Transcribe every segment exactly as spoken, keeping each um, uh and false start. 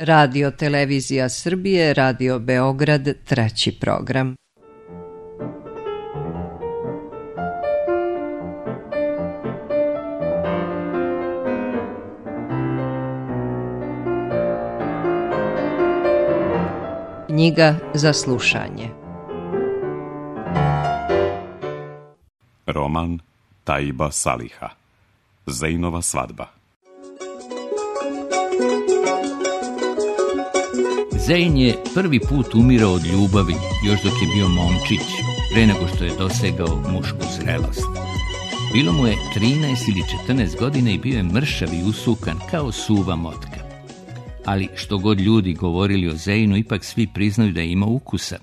Radio Televizija Srbije, Radio Beograd, treći program. Knjiga za slušanje. Roman Taiba Saliha. Zejnova svadba. Zein je prvi put umirao od ljubavi, još dok je bio momčić, pre nego što je dosegao mušku zrelost. Bilo mu je trinaest ili četrnaest godina i bio je mršav i usukan kao suva motka. Ali što god ljudi govorili o Zeinu, ipak svi priznaju da je imao ukusa.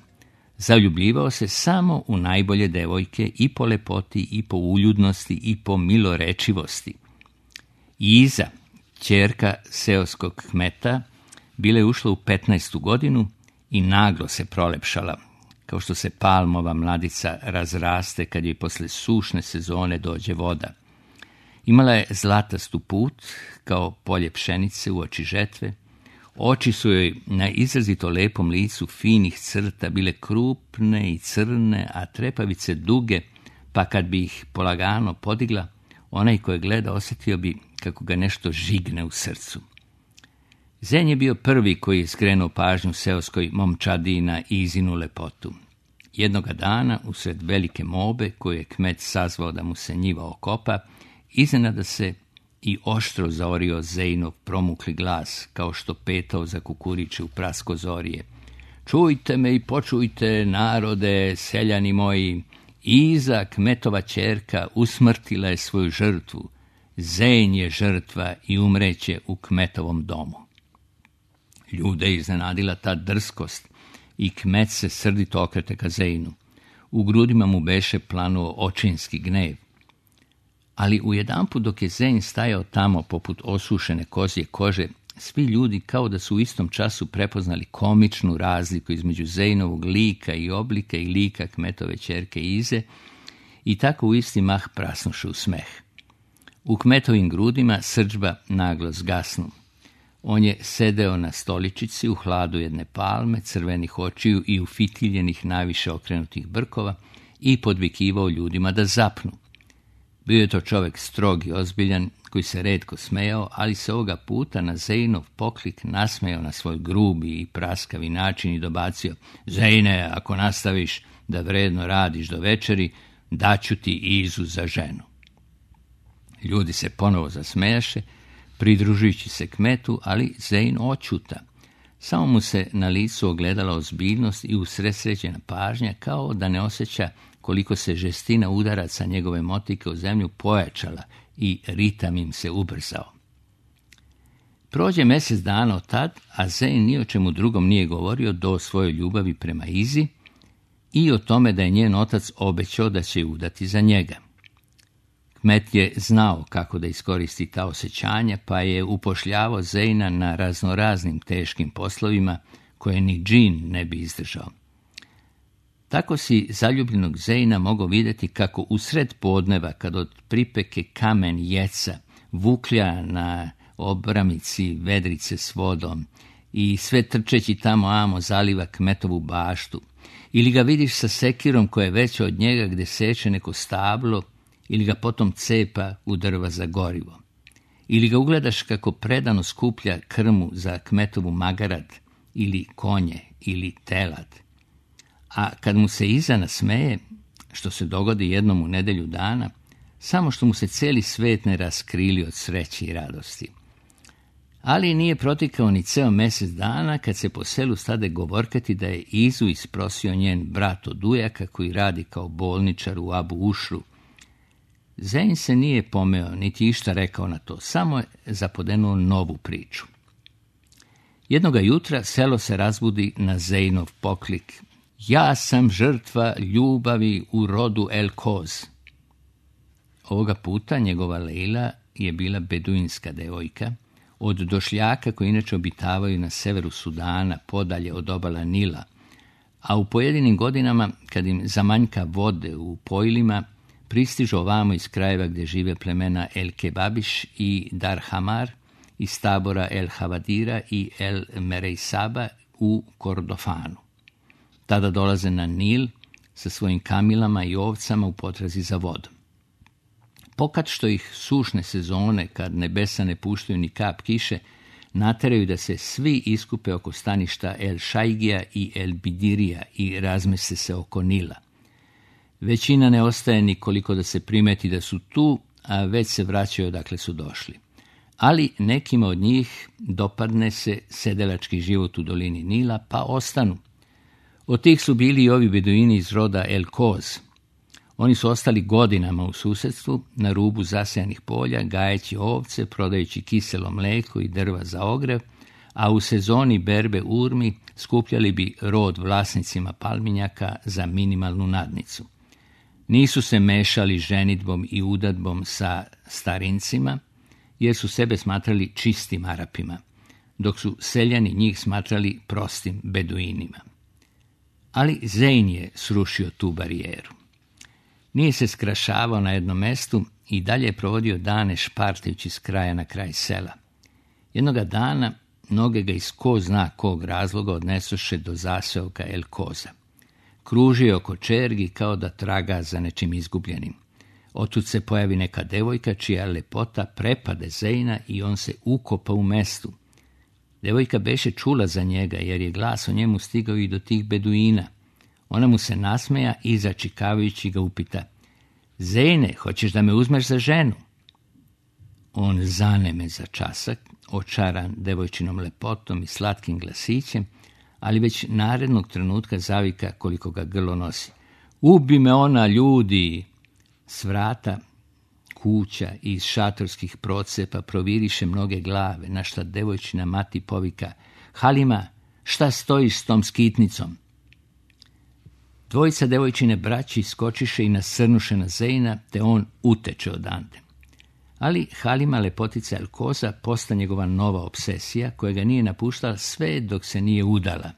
Zaljubljivao se samo u najbolje devojke i po lepoti, i po uljudnosti, i po milorečivosti. Iza, ćerka seoskog kmeta, bila je ušla u petnaestu godinu i naglo se prolepšala, kao što se palmova mladica razraste kad joj posle sušne sezone dođe voda. Imala je zlatastu put, kao polje pšenice u oči žetve. Oči su joj na izrazito lepom licu finih crta bile krupne i crne, a trepavice duge, pa kad bi ih polagano podigla, onaj ko je gleda osjetio bi kako ga nešto žigne u srcu. Zein je bio prvi koji je skrenuo pažnju seoskoj momčadi na Izinu lepotu. Jednoga dana, usred velike mobe koju je kmet sazvao da mu se njiva okopa, iznenada se i oštro zaorio Zeinov promukli glas, kao što petao za kukuriče u prasko zorije. Čujte me i počujte, narode, seljani moji, Iza, kmetova ćerka, usmrtila je svoju žrtvu. Zein je žrtva i umreće u kmetovom domu. Ljude je iznenadila ta drskost i kmet se srdito okrete ka Zeinu. U grudima mu beše planuo očinski gnev. Ali ujedanput dok je Zein stajao tamo poput osušene kozje kože, svi ljudi kao da su u istom času prepoznali komičnu razliku između Zeinovog lika i oblika i lika kmetove ćerke Ize i tako u isti mah prasnuše u smeh. U kmetovim grudima srdžba naglo zgasnu. On je sedeo na stoličici u hladu jedne palme, crvenih očiju i ufitiljenih naviše okrenutih brkova i podvikivao ljudima da zapnu. Bio je to čovjek strog i ozbiljan, koji se retko smejao, ali se ovoga puta na Zeinov poklik nasmejao na svoj grubi i praskavi način i dobacio: Zeine, ako nastaviš da vredno radiš do večeri, daću ti Izu za ženu. Ljudi se ponovo zasmejaše, pridružujući se kmetu, ali Zein oćuta. Samo mu se na licu ogledala ozbiljnost i usredsređena pažnja, kao da ne osjeća koliko se žestina udaraca njegove motike u zemlju pojačala i ritam im se ubrzao. Prođe mjesec dana od tad, a Zein ni o čemu drugom nije govorio do svojoj ljubavi prema Izi i o tome da je njen otac obećao da će ju udati za njega. Kmet je znao kako da iskoristi ta osjećanja, pa je upošljavao Zeina na raznoraznim teškim poslovima koje ni džin ne bi izdržao. Tako si zaljubljenog Zeina mogao vidjeti kako usred podneva, kad od pripeke kamen jeca vuklja na obramici vedrice s vodom i sve trčeći tamo amo zaliva kmetovu baštu, ili ga vidiš sa sekirom koja je veća od njega gde seče neko stablo, ili ga potom cepa u drva za gorivo, ili ga ugledaš kako predano skuplja krmu za kmetovu magarad, ili konje, ili telad. A kad mu se Iza nasmeje, što se dogodi jednom u nedelju dana, samo što mu se cijeli svet ne raskrili od sreće i radosti. Ali nije protikao ni ceo mjesec dana kad se po selu stade govorkati da je Izu isprosio njen brat od ujaka koji radi kao bolničar u Abu Ušru. Zein se nije pomeo, niti išta rekao na to, samo je zapodenuo novu priču. Jednoga jutra selo se razbudi na Zeinov poklik: Ja sam žrtva ljubavi u rodu El Koz. Ovoga puta njegova Lejla je bila beduinska devojka, od došljaka koji inače obitavaju na severu Sudana, podalje od obala Nila, a u pojedinim godinama, kad im zamanjka vode u pojilima, pristižu ovamo iz krajeva gdje žive plemena El Kebabiš i Dar Hamar iz tabora El Havadira i El Mereisaba u Kordofanu. Tada dolaze na Nil sa svojim kamilama i ovcama u potrazi za vodom. Pokad što ih sušne sezone, kad nebesa ne puštaju ni kap kiše, nateraju da se svi iskupe oko staništa El Šajgija i El Bidirija i razmese se oko Nila. Većina ne ostaje nikoliko da se primeti da su tu, a već se vraćaju odakle su došli. Ali nekima od njih dopadne se sedelački život u dolini Nila, pa ostanu. Od tih su bili i ovi beduini iz roda El Koz. Oni su ostali godinama u susedstvu, na rubu zasejanih polja, gajeći ovce, prodajući kiselo mlijeko i drva za ogrev, a u sezoni berbe urmi skupljali bi rod vlasnicima palminjaka za minimalnu nadnicu. Nisu se mešali ženidbom i udadbom sa starincima, jer su sebe smatrali čistim Arapima, dok su seljani njih smatrali prostim beduinima. Ali Zein je srušio tu barijeru. Nije se skrašavao na jednom mestu i dalje je provodio dane špartajući s kraja na kraj sela. Jednoga dana noge ga iz ko zna kog razloga odnesoše do zaseoka El Koza. Kružio oko čergi kao da traga za nečim izgubljenim. Otud se pojavi neka devojka čija lepota prepade Zeina i on se ukopa u mestu. Devojka beše čula za njega jer je glas o njemu stigao i do tih beduina. Ona mu se nasmeja i začikavajući ga upita: Zeine, hoćeš da me uzmeš za ženu? On zaneme za časak, očaran devojčinom lepotom i slatkim glasićem, ali već narednog trenutka zavika koliko ga grlo nosi: Ubi me ona, ljudi! S vrata kuća i iz šatorskih procepa proviriše mnoge glave, na šta devojčina mati povika: Halima, šta stojiš s tom skitnicom? Dvojica devojčine braći skočiše i nasrnuše na Zeina, te on uteče odande. Ali Halima, lepotica El Koza, posta njegova nova obsesija, koja ga nije napuštala sve dok se nije udala.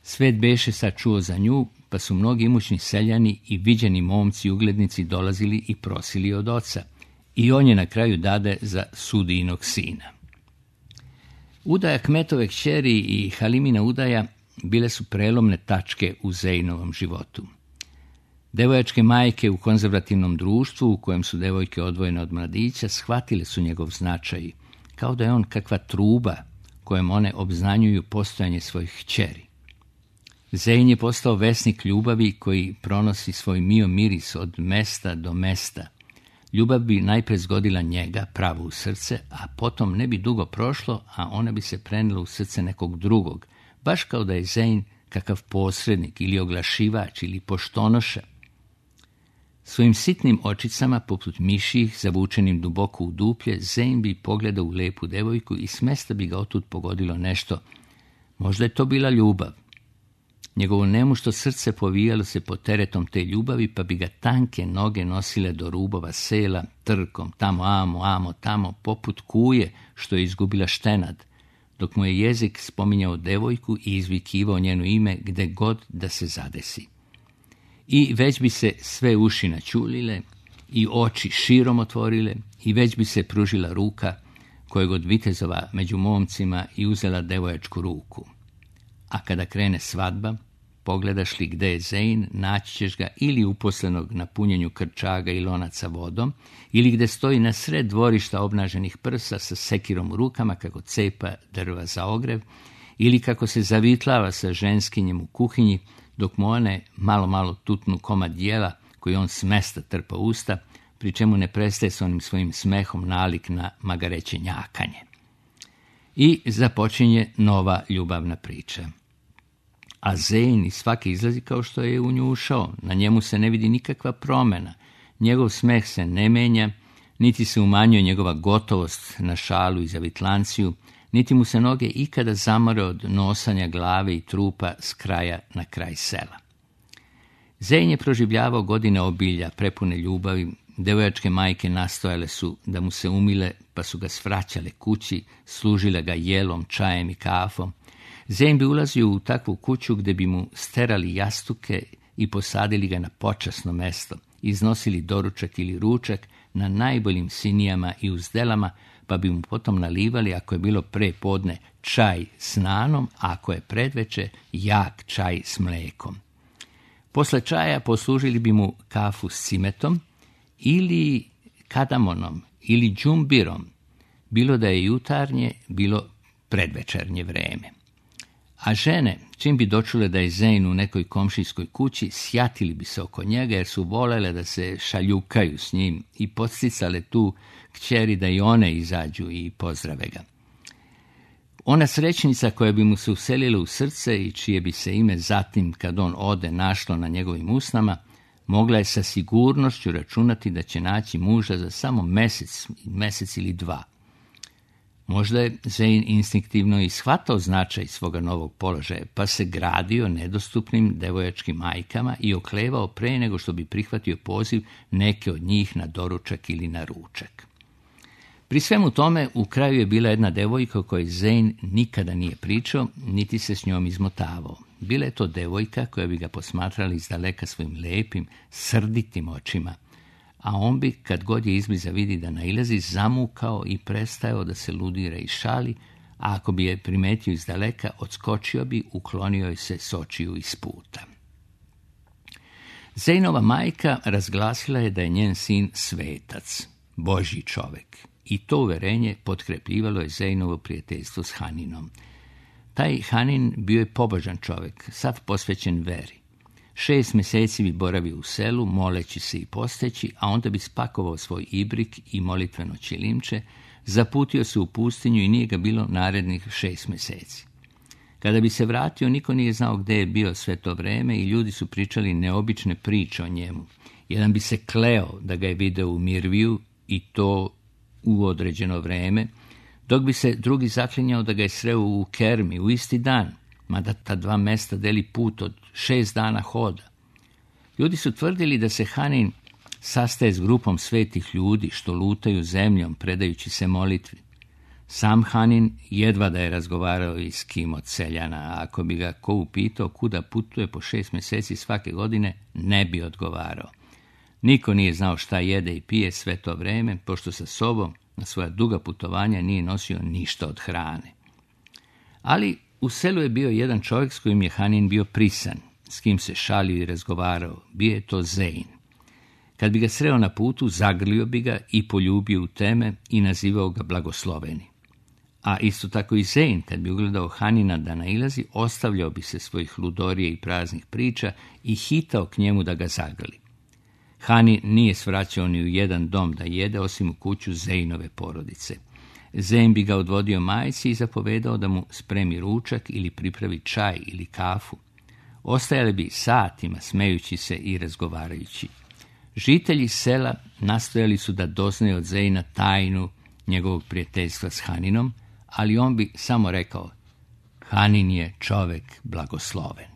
Svet beše sad čuo za nju, pa su mnogi imućni seljani i viđeni momci uglednici dolazili i prosili od oca. I on je na kraju dade za sudijinog sina. Udaja kmetove kćeri i Halimina udaja bile su prelomne tačke u Zeinovom životu. Devojačke majke u konzervativnom društvu, u kojem su devojke odvojene od mladića, shvatile su njegov značaj, kao da je on kakva truba kojem one obznanjuju postojanje svojih kćeri. Zein je postao vesnik ljubavi koji pronosi svoj mio miris od mesta do mesta. Ljubav bi najpre zgodila njega, pravo u srce, a potom ne bi dugo prošlo, a ona bi se prenela u srce nekog drugog, baš kao da je Zein kakav posrednik ili oglašivač ili poštonoša. Svojim sitnim očicama, poput miših, zavučenim duboko u duplje, Zein bi pogledao u lepu devojku i smesta bi ga otud pogodilo nešto. Možda je to bila ljubav. Njegovo nemušto srce povijalo se pod teretom te ljubavi, pa bi ga tanke noge nosile do rubova sela, trkom, tamo amo, amo, tamo, poput kuje što je izgubila štenad, dok mu je jezik spominjao devojku i izvikivao njeno ime gde god da se zadesi. I već bi se sve uši načulile i oči širom otvorile i već bi se pružila ruka kojeg od vitezova među momcima i uzela devojačku ruku. A kada krene svadba, pogledaš li gde je Zein, naći ćeš ga ili uposlenog na punjenju krčaga i lonaca vodom, ili gde stoji na sred dvorišta obnaženih prsa sa sekirom u rukama kako cepa drva za ogrev, ili kako se zavitlava sa ženskinjem u kuhinji, dok mu one malo malo tutnu komad jela koji on s mesta trpa usta, pri čemu ne prestaje s onim svojim smehom nalik na magareće njakanje. I započinje nova ljubavna priča. A Zein iz svake izlazi kao što je u nju ušao. Na njemu se ne vidi nikakva promjena. Njegov smeh se ne menja, niti se umanjuje njegova gotovost na šalu i zavitlanciju, niti mu se noge ikada zamore od nosanja glave i trupa s kraja na kraj sela. Zein je proživljavao godine obilja, prepune ljubavi. Devojačke majke nastojale su da mu se umile, pa su ga svraćale kući, služile ga jelom, čajem i kafom. Zein bi ulazio u takvu kuću gde bi mu sterali jastuke i posadili ga na počasno mesto, iznosili doručak ili ručak na najboljim sinijama i uzdelama, pa bi mu potom nalivali, ako je bilo pre podne, čaj s nanom, a ako je predveče, jak čaj s mlekom. Posle čaja poslužili bi mu kafu s cimetom ili kadamonom ili džumbirom, bilo da je jutarnje, bilo predvečernje vreme. A žene, čim bi dočule da je Zein u nekoj komšijskoj kući, sjatili bi se oko njega jer su volele da se šaljukaju s njim i podsticale tu kćeri da i one izađu i pozdrave ga. Ona srećnica koja bi mu se uselila u srce i čije bi se ime zatim, kad on ode, našlo na njegovim usnama, mogla je sa sigurnošću računati da će naći muža za samo mjesec, mjesec ili dva. Možda je Zein instinktivno i shvatao značaj svoga novog položaja, pa se gradio nedostupnim devojačkim majkama i oklevao pre nego što bi prihvatio poziv neke od njih na doručak ili na ručak. Pri svemu tome, u kraju je bila jedna devojka o kojoj Zein nikada nije pričao, niti se s njom izmotavao. Bila je to devojka koja bi ga posmatrali izdaleka svojim lepim, srditim očima, a on bi, kad god je izbliza vidi da nailazi, zamukao i prestajao da se ludira i šali, a ako bi je primetio izdaleka, odskočio bi, uklonio joj se s očiju iz puta. Zeinova majka razglasila je da je njen sin svetac, Božji čovek, i to uverenje potkrepljivalo je Zeinovo prijateljstvo s Haninom. Taj Hanin bio je pobožan čovek, sav posvećen veri. Šest mjeseci bi boravio u selu, moleći se i posteći, a onda bi spakovao svoj ibrik i molitveno ćilimče, zaputio se u pustinju i nije ga bilo narednih šest mjeseci. Kada bi se vratio, niko nije znao gde je bio sve to vreme i ljudi su pričali neobične priče o njemu. Jedan bi se kleo da ga je video u Mirviju i to u određeno vreme, dok bi se drugi zaklinjao da ga je sreo u Kermi u isti dan, mada ta dva mesta deli put od šest dana hoda. Ljudi su tvrdili da se Hanin sastaje s grupom svetih ljudi što lutaju zemljom predajući se molitvi. Sam Hanin jedva da je razgovarao i s kim od seljana, a ako bi ga ko upitao kuda putuje po šest mjeseci svake godine, ne bi odgovarao. Niko nije znao šta jede i pije sve to vreme, pošto sa sobom na svoja duga putovanja nije nosio ništa od hrane. Ali u selu je bio jedan čovjek s kojim je Hanin bio prisan, s kim se šalio i razgovarao. Bio je to Zein. Kad bi ga sreo na putu, zagrlio bi ga i poljubio u teme i nazivao ga blagosloveni. A isto tako i Zein, kad bi ugledao Hanina da nailazi, ostavljao bi se svojih ludorije i praznih priča i hitao k njemu da ga zagrli. Hanin nije svraćao ni u jedan dom da jede, osim u kuću Zeinove porodice. Zein bi ga odvodio majci i zapovedao da mu spremi ručak ili pripravi čaj ili kafu. Ostajali bi satima smejući se i razgovarajući. Žitelji sela nastojali su da doznaju od Zeina tajnu njegovog prijateljstva s Haninom, ali on bi samo rekao: Hanin je čovek blagosloven.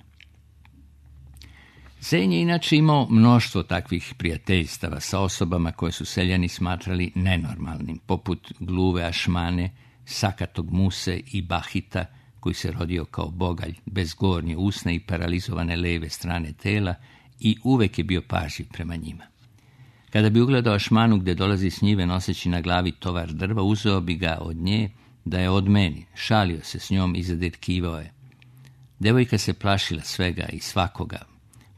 Zein je inače imao mnoštvo takvih prijateljstava sa osobama koje su seljani smatrali nenormalnim, poput gluve Ašmane, sakatog Muse i Bahita, koji se rodio kao bogalj, bez gornje usne i paralizovane leve strane tela, i uvek je bio pažljiv prema njima. Kada bi ugledao Ašmanu gde dolazi s njive noseći na glavi tovar drva, uzeo bi ga od nje da je odmeni, šalio se s njom i zadetkivao je. Devojka se plašila svega i svakoga,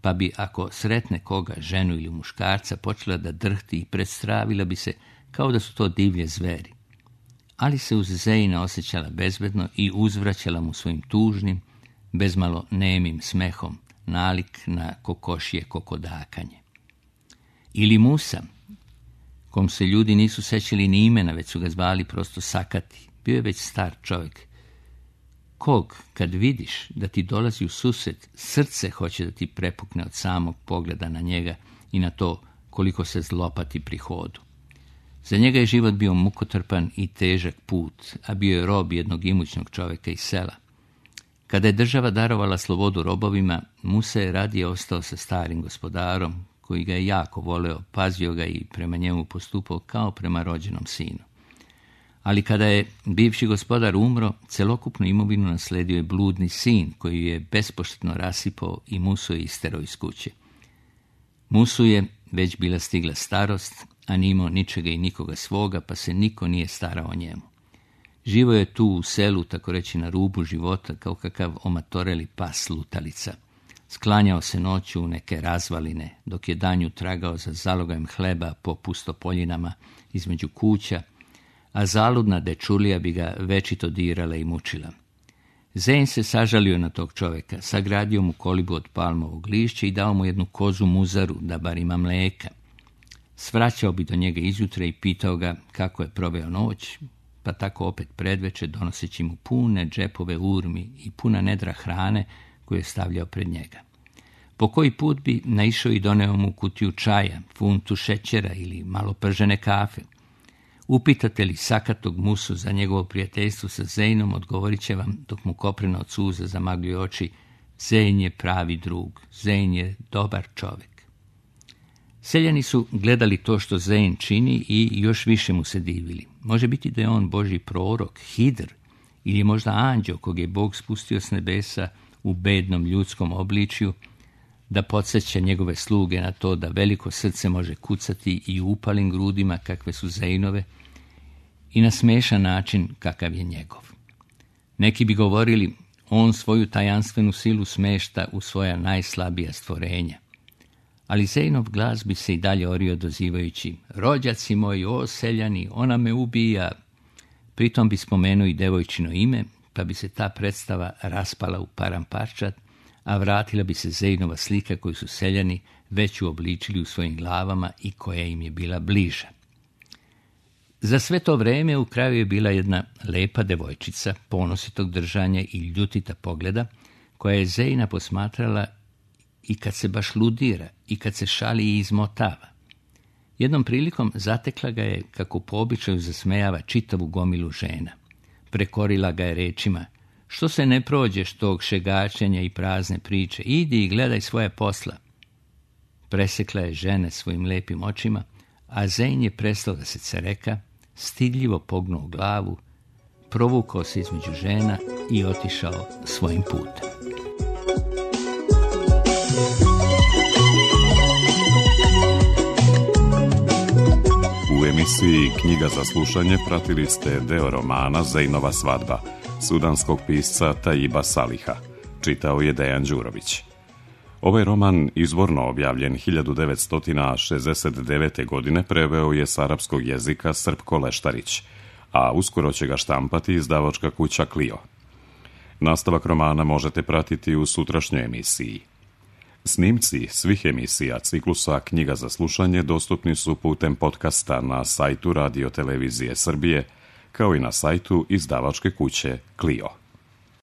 pa bi, ako sretne koga, ženu ili muškarca, počela da drhti i predstravila bi se kao da su to divlje zveri. Ali se uz Zeina osjećala bezbedno i uzvraćala mu svojim tužnim, bezmalo nemim smehom, nalik na kokošije kokodakanje. Ili Musa, kom se ljudi nisu sećali ni imena, već su ga zvali prosto Sakati, bio je već star čovjek. Kog, kad vidiš da ti dolazi u susret, srce hoće da ti prepukne od samog pogleda na njega i na to koliko se zlopati pri hodu. Za njega je život bio mukotrpan i težak put, a bio je rob jednog imućnog čovjeka iz sela. Kada je država darovala slobodu robovima, Musa je radije ostao sa starim gospodarom, koji ga je jako voleo, pazio ga i prema njemu postupao kao prema rođenom sinu. Ali kada je bivši gospodar umro, celokupnu imovinu nasledio je bludni sin, koji je bespoštetno rasipao i Musu je isterao iz kuće. Musu je već bila stigla starost, a nije imao ničega i nikoga svoga, pa se niko nije starao o njemu. Živo je tu u selu, tako reći na rubu života, kao kakav omatoreli pas lutalica. Sklanjao se noću u neke razvaline, dok je danju tragao za zalogajem hleba po pustopoljinama između kuća, a zaludna dečulija bi ga večito dirala i mučila. Zein se sažalio na tog čovjeka, sagradio mu kolibu od palmovog lišća i dao mu jednu kozu muzaru da bar ima mlijeka. Svraćao bi do njega izjutra i pitao ga kako je proveo noć, pa tako opet predveče donoseći mu pune džepove urmi i puna nedra hrane koju je stavljao pred njega. Po koji put bi naišao i doneo mu kutiju čaja, funtu šećera ili malo pržene kafe. Upitate li sakatog Musu za njegovo prijateljstvo sa Zeinom, odgovorit će vam, dok mu koprena od suza zamagljuje oči, Zein je pravi drug, Zein je dobar čovjek. Seljani su gledali to što Zein čini i još više mu se divili. Može biti da je on Božji prorok, Hidr, ili možda anđeo kog je Bog spustio s nebesa u bednom ljudskom obličju, da podsjeća njegove sluge na to da veliko srce može kucati i u upalim grudima kakve su Zeinove i na smešan način kakav je njegov. Neki bi govorili, on svoju tajanstvenu silu smešta u svoja najslabija stvorenja. Ali Zeinov glas bi se i dalje orio dozivajući, rođaci moji, o seljani, ona me ubija. Pritom bi spomenuo i devojčino ime, pa bi se ta predstava raspala u paramparčad, a vratila bi se Zeinova slika koju su seljani već uobličili u svojim glavama i koja im je bila bliža. Za sve to vreme u kraju je bila jedna lepa devojčica, ponositog držanja i ljutita pogleda, koja je Zeina posmatrala i kad se baš ludira, i kad se šali i izmotava. Jednom prilikom zatekla ga je, kako po običaju zasmejava čitavu gomilu žena. Prekorila ga je rečima, što se ne prođeš tog šegačenja i prazne priče, idi i gledaj svoje posla. Presekla je žene svojim lepim očima, a Zein je prestao da se cereka, stidljivo pognuo glavu, provukao se između žena i otišao svojim putem. U emisiji Knjiga za slušanje pratili ste deo romana Zeinova svadba, sudanskog pisca Taiba Saliha. Čitao je Dejan Đurović. Ovaj roman, izvorno objavljen hiljadu devetsto šezdeset devete. godine, preveo je s arapskog jezika Srpko Leštarić, a uskoro će ga štampati izdavačka kuća Clio. Nastavak romana možete pratiti u sutrašnjoj emisiji. Snimci svih emisija ciklusa Knjiga za slušanje dostupni su putem podcasta na sajtu Radio Televizije Srbije, kao i na sajtu izdavačke kuće Clio.